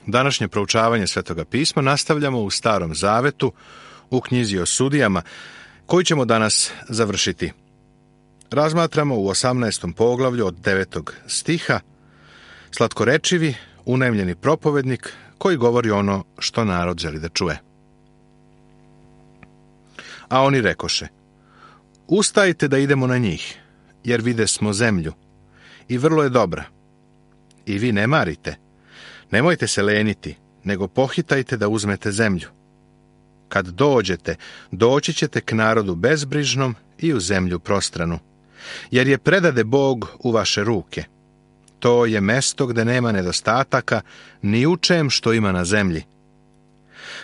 Današnje proučavanje Svetoga pisma nastavljamo u Starom zavetu, u knjizi o sudijama, koju ćemo danas završiti. Razmatramo u 18. poglavlju od 9. stiha slatkorečivi, unajmljeni propovednik koji govori ono što narod želi da čuje. A oni rekoše: Ustajte da idemo na njih, jer vide smo zemlju, i vrlo je dobra. I vi ne marite, nemojte se leniti, nego pohitajte da uzmete zemlju. Kad dođete, doći ćete k narodu bezbrižnom i u zemlju prostranu, jer je predade Bog u vaše ruke. To je mesto gde nema nedostataka ni u čem što ima na zemlji.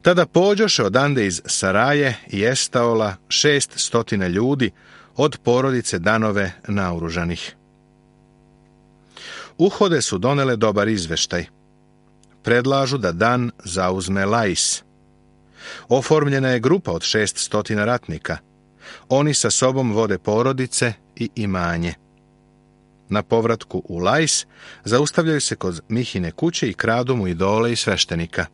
Tada pođoše odande iz Saraje i Estaola 600 ljudi od porodice Danove naoružanih. Uhode su donele dobar izveštaj. Predlažu da Dan zauzme Lais. Oformljena je grupa od 600 ratnika. Oni sa sobom vode porodice i imanje. Na povratku u Lais zaustavljaju se kod Mihine kuće i kradu mu idole i sveštenika.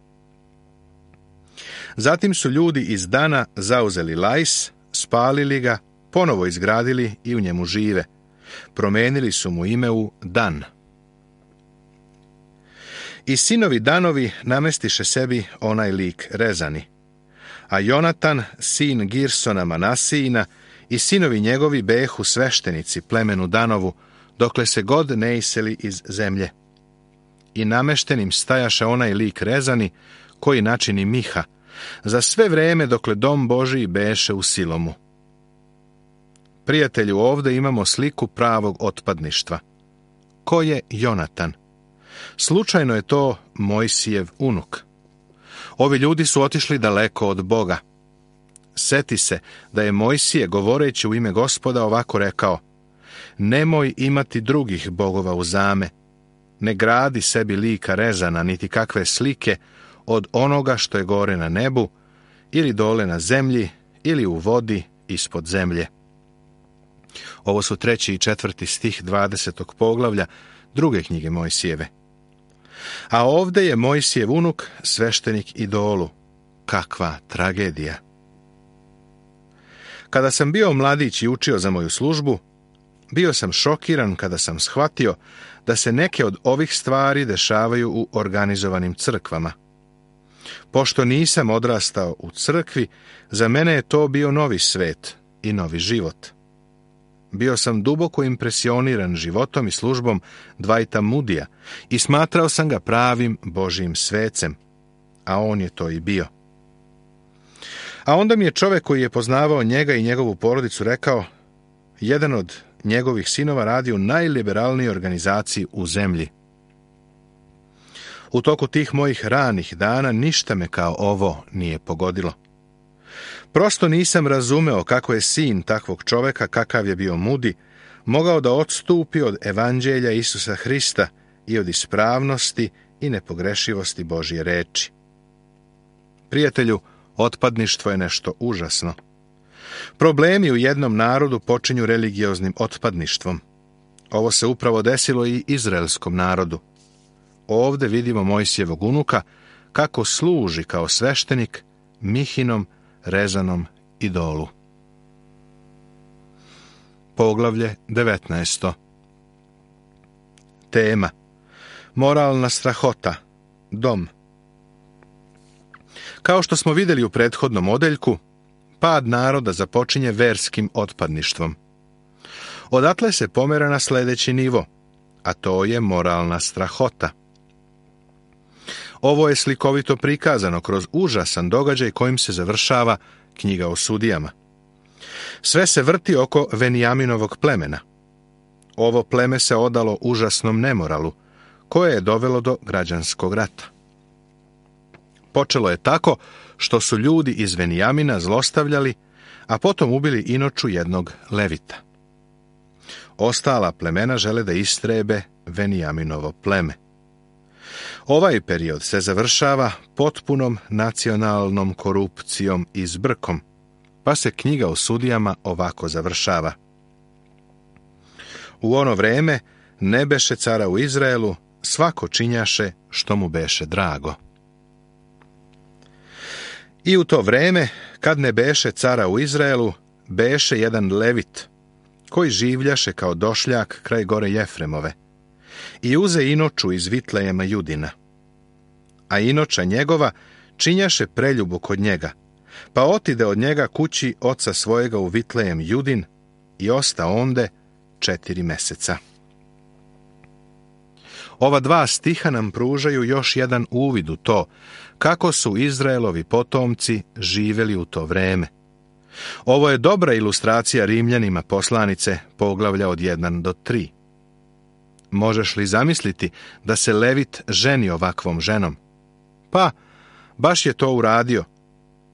Zatim su ljudi iz Dana zauzeli Lais, spalili ga, ponovo izgradili i u njemu žive. Promenili su mu ime u Dan. I sinovi Danovi namestiše sebi onaj lik Rezani. A Jonatan, sin Girsona Manasijina, i sinovi njegovi behu sveštenici plemenu Danovu, dokle se god ne iseli iz zemlje. I nameštenim stajaše onaj lik Rezani, koji načini Miha, za sve vreme dokle dom Božiji beše u Silomu. Prijatelju, ovde imamo sliku pravog otpadništva. Ko je Jonatan? Slučajno je to Mojsijev unuk. Ovi ljudi su otišli daleko od Boga. Seti se da je Mojsije, govoreći u ime Gospoda, ovako rekao: Nemoj imati drugih bogova uzame, ne gradi sebi lika Rezana, niti kakve slike od onoga što je gore na nebu, ili dole na zemlji, ili u vodi ispod zemlje. Ovo su 3. i 4. stih 20. poglavlja druge knjige Mojsijeve. A ovde je Mojsijev unuk sveštenik idolu. Kakva tragedija! Kada sam bio mladić i učio za moju službu, bio sam šokiran kada sam shvatio da se neke od ovih stvari dešavaju u organizovanim crkvama. Pošto nisam odrastao u crkvi, za mene je to bio novi svet i novi život. Bio sam duboko impresioniran životom i službom Dwighta Moodya i smatrao sam ga pravim Božijim svecem, a on je to i bio. A onda mi je čovek koji je poznavao njega i njegovu porodicu rekao: jedan od njegovih sinova radi u najliberalnijoj organizaciji u zemlji. U toku tih mojih ranih dana ništa me kao ovo nije pogodilo. Prosto nisam razumeo kako je sin takvog čoveka, kakav je bio Moody, mogao da odstupi od evanđelja Isusa Hrista i od ispravnosti i nepogrešivosti Božje reči. Prijatelju, otpadništvo je nešto užasno. Problemi u jednom narodu počinju religioznim otpadništvom. Ovo se upravo desilo i izraelskom narodu. Ovde vidimo Mojsijevog unuka kako služi kao sveštenik Mihinom Rezanom idolu. Poglavlje 19. Tema: moralna strahota, dom. Kao što smo vidjeli u prethodnom odeljku, pad naroda započinje verskim otpadništvom. Odatle se pomera na sljedeći nivo, a to je moralna strahota. Ovo je slikovito prikazano kroz užasan događaj kojim se završava knjiga o sudijama. Sve se vrti oko Venijaminovog plemena. Ovo pleme se odalo užasnom nemoralu, koje je dovelo do građanskog rata. Počelo je tako što su ljudi iz Venijamina zlostavljali, a potom ubili inoču jednog Levita. Ostala plemena žele da istrebe Venijaminovo pleme. Ovaj period se završava potpunom nacionalnom korupcijom i zbrkom, pa se knjiga o sudijama ovako završava. U ono vreme ne beše cara u Izraelu, svako činjaše što mu beše drago. I u to vreme, kad ne beše cara u Izraelu, beše jedan levit, koji življaše kao došljak kraj gore Jefremove, i uze inoču iz Vitlejema Judina. A inoča njegova činjaše preljubu kod njega, pa otide od njega kući oca svojega u Vitlejem Judin i osta onde 4 meseca. Ova 2 stiha nam pružaju još jedan uvid u to kako su Izraelovi potomci živjeli u to vreme. Ovo je dobra ilustracija Rimljanima poslanice poglavlja od 1 do 3. Možeš li zamisliti da se Levit ženi ovakvom ženom? Pa, baš je to uradio,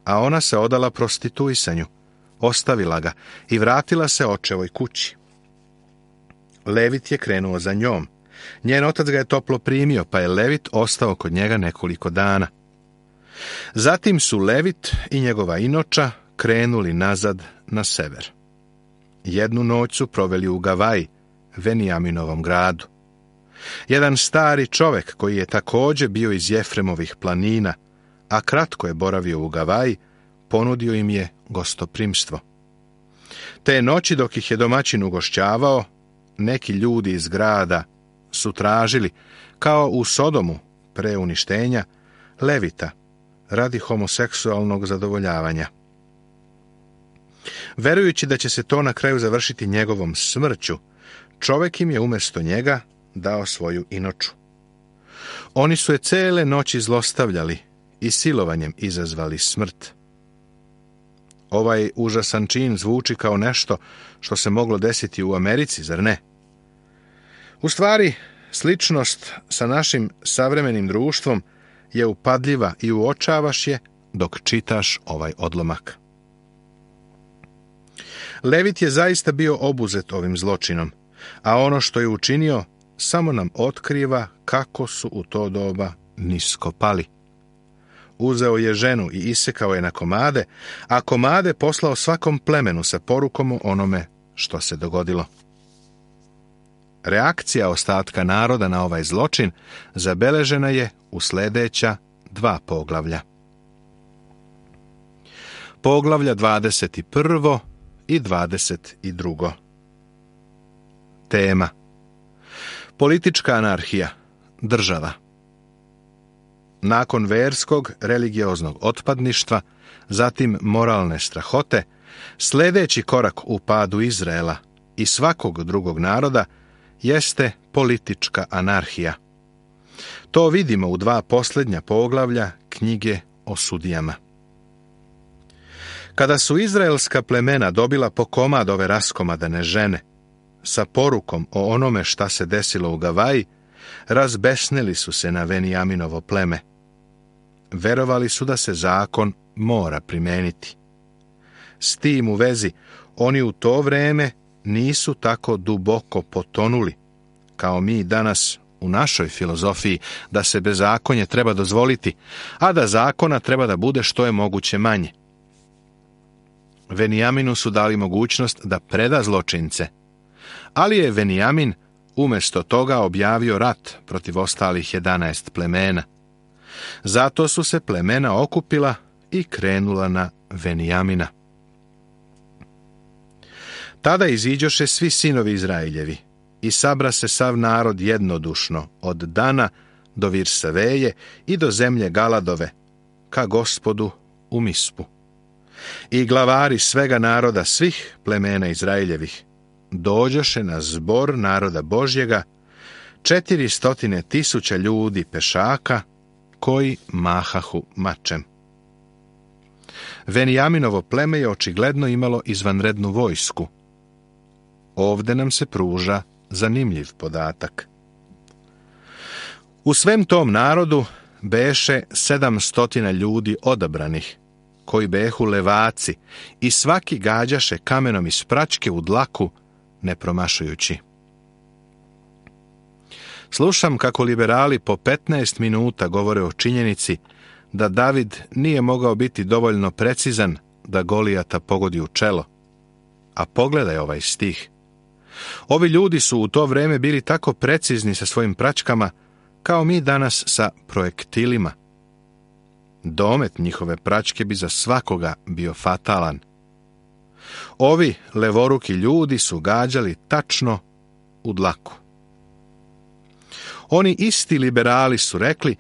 a ona se odala prostituisanju, ostavila ga i vratila se očevoj kući. Levit je krenuo za njom. Njen otac ga je toplo primio, pa je Levit ostao kod njega nekoliko dana. Zatim su Levit i njegova inoča krenuli nazad na sever. Jednu noć su proveli u Gavaji, Venijaminovom gradu. Jedan stari čovek koji je također bio iz Jefremovih planina, a kratko je boravio u Gavaji, ponudio im je gostoprimstvo. Te noći dok ih je domaćin ugošćavao, neki ljudi iz grada su tražili, kao u Sodomu pre uništenja, Levita radi homoseksualnog zadovoljavanja. Verujući da će se to na kraju završiti njegovom smrću, čovek im je umjesto njega dao svoju inoču. Oni su je cele noći zlostavljali i silovanjem izazvali smrt. Ovaj užasan čin zvuči kao nešto što se moglo desiti u Americi, zar ne? U stvari, sličnost sa našim savremenim društvom je upadljiva i uočavaš je dok čitaš ovaj odlomak. Levit je zaista bio obuzet ovim zločinom, a ono što je učinio samo nam otkriva kako su u to doba nisko pali. Uzeo je ženu i isekao je na komade, a komade poslao svakom plemenu sa porukom o onome što se dogodilo. Reakcija ostatka naroda na ovaj zločin zabeležena je u sljedeća 2 poglavlja. Poglavlja 21. i 22. Tema: politička anarhija, država. Nakon verskog, religioznog otpadništva, zatim moralne strahote, sljedeći korak u padu Izraela i svakog drugog naroda jeste politička anarhija. To vidimo u 2 posljednja poglavlja knjige o sudijama. Kada su izraelska plemena dobila po komad ove raskomadane žene, sa porukom o onome šta se desilo u Gavaji, razbesnili su se na Venijaminovo pleme. Verovali su da se zakon mora primeniti. S tim u vezi, oni u to vreme nisu tako duboko potonuli, kao mi danas u našoj filozofiji, da se bezakonje treba dozvoliti, a da zakona treba da bude što je moguće manje. Venijaminu su dali mogućnost da preda zločince, ali je Venijamin umjesto toga objavio rat protiv ostalih 11 plemena. Zato su se plemena okupila i krenula na Venijamina. Tada iziđoše svi sinovi Izraeljevi i sabra se sav narod jednodušno od Dana do Virsaveje i do zemlje Galadove, ka Gospodu u Mispu. I glavari svega naroda svih plemena Izraeljevih dođoše na zbor naroda Božjega 400.000 ljudi pešaka koji mahahu mačem. Venijaminovo pleme je očigledno imalo izvanrednu vojsku. Ovde nam se pruža zanimljiv podatak. U svem tom narodu beše 700 ljudi odabranih, koji behu levaci, i svaki gađaše kamenom iz praćke u dlaku, ne promašujući. Slušam kako liberali po 15 minuta govore o činjenici da David nije mogao biti dovoljno precizan da Golijata pogodi u čelo. A pogledaj ovaj stih. Ovi ljudi su u to vreme bili tako precizni sa svojim praćkama kao mi danas sa projektilima. Domet njihove praćke bi za svakoga bio fatalan. Ovi levoruki ljudi su gađali tačno u dlaku. Oni isti liberali su rekli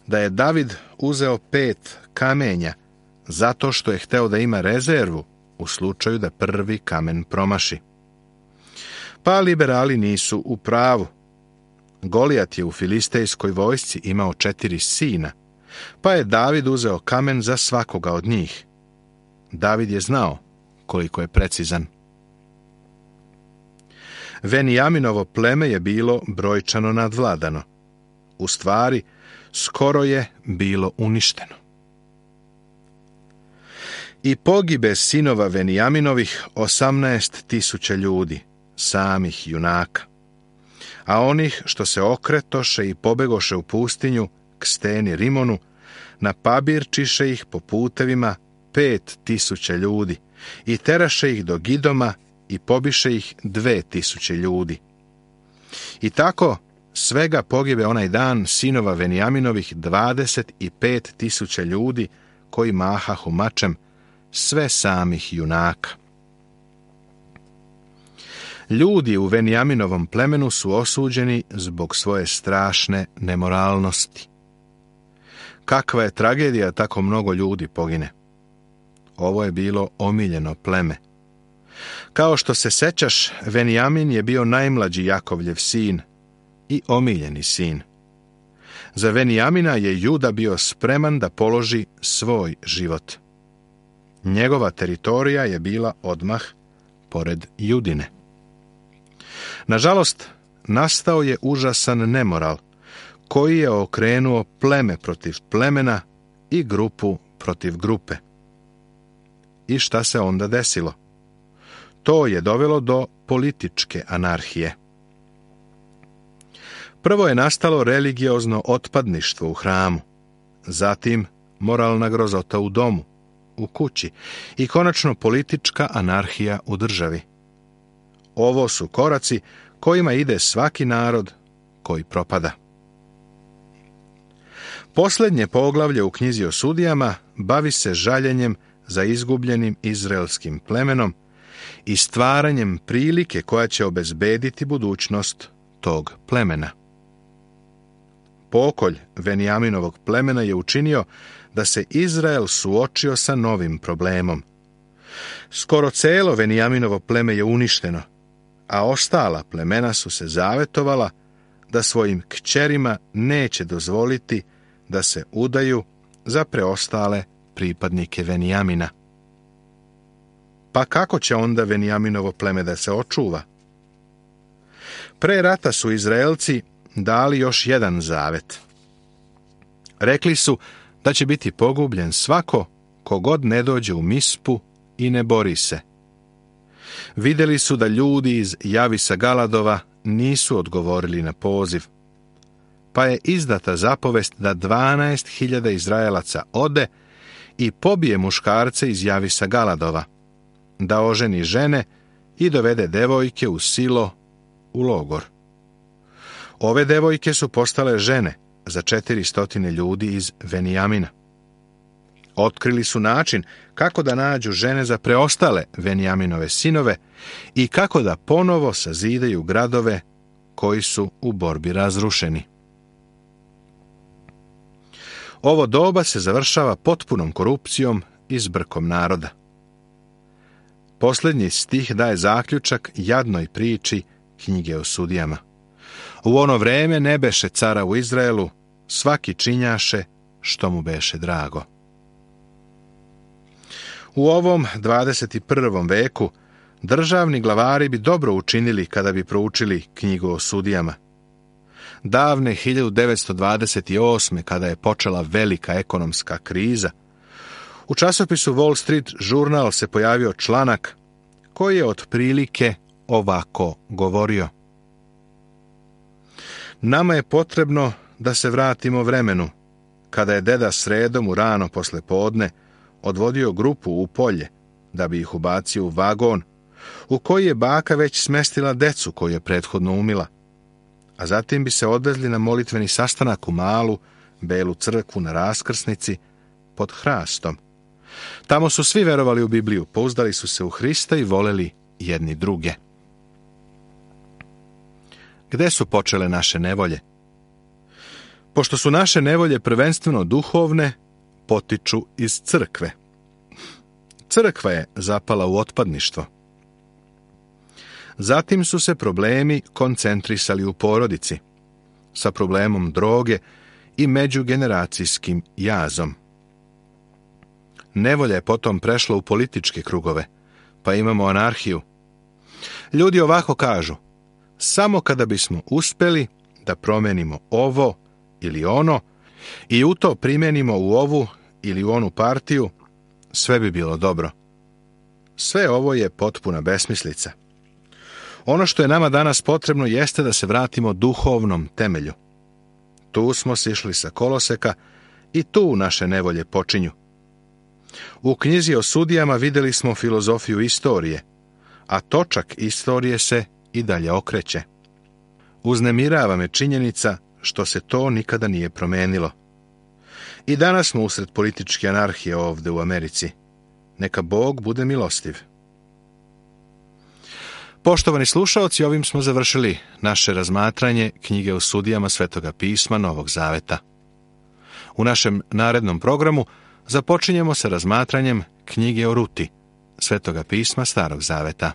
da je David uzeo 5 kamenja zato što je hteo da ima rezervu u slučaju da prvi kamen promaši. Pa liberali nisu u pravu. Golijat je u filistejskoj vojsci imao 4 sina, pa je David uzeo kamen za svakoga od njih. David je znao koliko je precizan. Venijaminovo pleme je bilo brojčano nadvladano. U stvari, skoro je bilo uništeno. I pogibe sinova Venijaminovih 18.000 ljudi, samih junaka. A onih što se okretoše i pobegoše u pustinju k steni Rimonu, napabirčiše ih po putevima 5.000 ljudi i teraše ih do Gidoma i pobiše ih 2.000 ljudi. I tako svega pogibe onaj dan sinova Venijaminovih 25.000 ljudi koji mahahu mačem, sve samih junaka. Ljudi u Venijaminovom plemenu su osuđeni zbog svoje strašne nemoralnosti. Kakva je tragedija tako mnogo ljudi pogine. Ovo je bilo omiljeno pleme. Kao što se sećaš, Venijamin je bio najmlađi Jakovljev sin i omiljeni sin. Za Venijamina je Juda bio spreman da položi svoj život. Njegova teritorija je bila odmah pored Judine. Nažalost, nastao je užasan nemoral koji je okrenuo pleme protiv plemena i grupu protiv grupe. I šta se onda desilo? To je dovelo do političke anarhije. Prvo je nastalo religiozno otpadništvo u hramu, zatim moralna grozota u domu, u kući i konačno politička anarhija u državi. Ovo su koraci kojima ide svaki narod koji propada. Posljednje poglavlje u knjizi o sudijama bavi se žaljenjem za izgubljenim izraelskim plemenom i stvaranjem prilike koja će obezbediti budućnost tog plemena. Pokolj Venijaminovog plemena je učinio da se Izrael suočio sa novim problemom. Skoro celo Venijaminovo pleme je uništeno, a ostala plemena su se zavetovala da svojim kćerima neće dozvoliti da se udaju za preostale pripadnike Venijamina. Pa kako će onda Venijaminovo pleme da se očuva? Pre rata su Izraelci dali još jedan zavet. Rekli su da će biti pogubljen svako kogod ne dođe u Mispu i ne bori se. Vidjeli su da ljudi iz Javisa Galadova nisu odgovorili na poziv, pa je izdata zapovest da 12.000 Izraelaca ode i pobije muškarce iz Javisa Galadova, da oženi žene i dovede devojke u Silo u logor. Ove devojke su postale žene za 400 ljudi iz Venijamina. Otkrili su način kako da nađu žene za preostale Venijaminove sinove i kako da ponovo sazidaju gradove koji su u borbi razrušeni. Ovo doba se završava potpunom korupcijom i zbrkom naroda. Posljednji stih daje zaključak jadnoj priči knjige o sudijama. U ono vreme ne beše cara u Izraelu, svaki činjaše što mu beše drago. U ovom 21. veku državni glavari bi dobro učinili kada bi proučili knjigu o sudijama. Davne 1928. kada je počela velika ekonomska kriza, u časopisu Wall Street Journal se pojavio članak koji je otprilike ovako govorio. Nama je potrebno da se vratimo vremenu, kada je deda sredom u rano posle podne odvodio grupu u polje, da bi ih ubacio u vagon, u koji je baka već smestila decu koju je prethodno umila. a zatim bi se odvezli na molitveni sastanak u malu, belu crkvu na raskrsnici pod hrastom. Tamo su svi verovali u Bibliju, pouzdali su se u Hrista i voleli jedni druge. Gde su počele naše nevolje? Pošto su naše nevolje prvenstveno duhovne, potiču iz crkve. Crkva je zapala u otpadništvo. Zatim su se problemi koncentrisali u porodici, sa problemom droge i međugeneracijskim jazom. Nevolja je potom prešla u političke krugove, pa imamo anarhiju. Ljudi ovako kažu: samo kada bismo uspeli da promenimo ovo ili ono i u to primenimo u ovu ili u onu partiju, sve bi bilo dobro. Sve ovo je potpuna besmislica. Ono što je nama danas potrebno jeste da se vratimo duhovnom temelju. Tu smo sišli sa koloseka i tu naše nevolje počinju. U knjizi o sudijama vidjeli smo filozofiju istorije, a točak istorije se i dalje okreće. Uznemirava me činjenica što se to nikada nije promenilo. I danas smo usred političke anarhije ovdje u Americi. Neka Bog bude milostiv. Poštovani slušaoci, ovim smo završili naše razmatranje knjige o sudijama Svetoga pisma Novog Zaveta. U našem narednom programu započinjemo sa razmatranjem knjige o Ruti, Svetoga pisma Starog Zaveta.